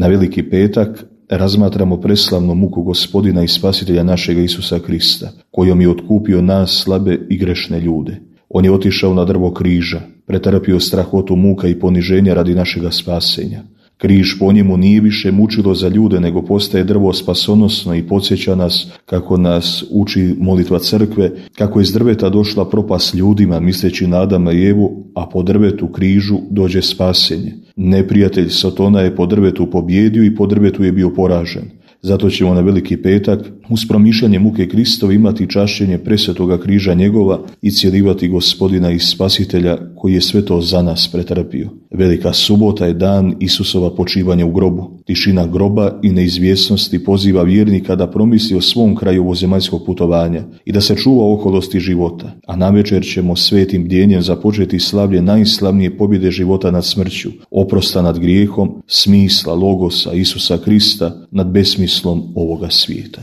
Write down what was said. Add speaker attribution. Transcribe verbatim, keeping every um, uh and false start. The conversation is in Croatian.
Speaker 1: Na Veliki petak razmatramo preslavnu muku Gospodina i Spasitelja našega Isusa Krista, kojom je otkupio nas slabe i grešne ljude. On je otišao na drvo križa, pretrpio strahotu muka i poniženja radi našega spasenja. Križ po njemu nije više mučilo za ljude, nego postaje drvo spasonosno i podsjeća nas, kako nas uči molitva crkve, kako je iz drveta došla propast ljudima, misleći na Adama i Evu, a po drvetu križu dođe spasenje. Neprijatelj Sotona je po drvetu pobjedio i po drvetu je bio poražen. Zato ćemo na Veliki petak uz promišljanje muke Kristove imati čašćenje presvetoga križa njegova i cjelivati Gospodina i Spasitelja koji je sve to za nas pretrpio. Velika subota je dan Isusova počivanja u grobu. Tišina groba i neizvjesnosti poziva vjernika da promisli o svom kraju ovozemaljskog putovanja i da se čuva okolosti života. A navečer ćemo svetim bdjenjem započeti slavlje najslavnije pobjede života nad smrću, oprosta nad grijehom, smisla, logosa Isusa Krista nad besmislom ovoga svijeta.